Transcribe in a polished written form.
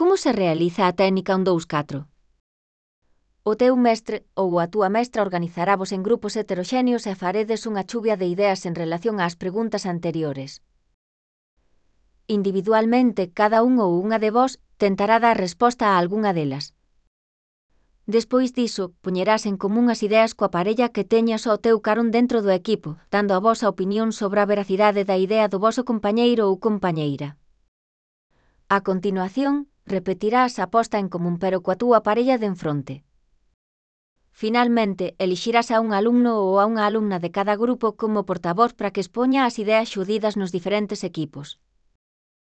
Como se realiza a técnica 1-2-4? O teu mestre ou a túa mestra organizaravos en grupos heteroxéneos e faredes unha chuvia de ideas en relación ás preguntas anteriores. Individualmente, cada un ou unha de vós tentará dar resposta a algunha delas. Despois diso, poñerás en común as ideas coa parella que teñas ao teu carón dentro do equipo, dando a vosa opinión sobre a veracidade da idea do voso compañeiro ou compañeira. A continuación, repetirás a posta en común pero coa túa parella de enfronte. Finalmente, elixirás a un alumno ou a unha alumna de cada grupo como portavoz para que expoña as ideas xurdidas nos diferentes equipos.